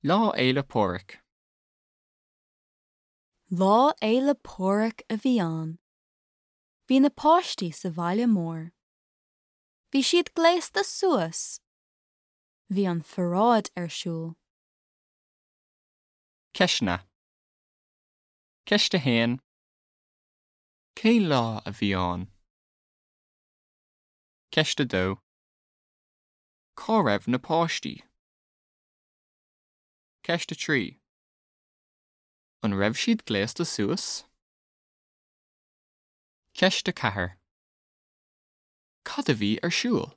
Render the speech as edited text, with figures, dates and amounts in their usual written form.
Lá Fhéile Pádraig. Lá Fhéile Pádraig a bhí ann. Bhí na páistí sa bhaile mór. Bhí siad gléasta suas. Bhí an pharáid ar siúl. Ceisteanna. Ceist 1. Cén lá a bhí ann? Ceist 2. Cá raibh na páistí? Ceist 3. An raibh siad gléasta suas? Ceist 4. Cad a bhí ar siúl?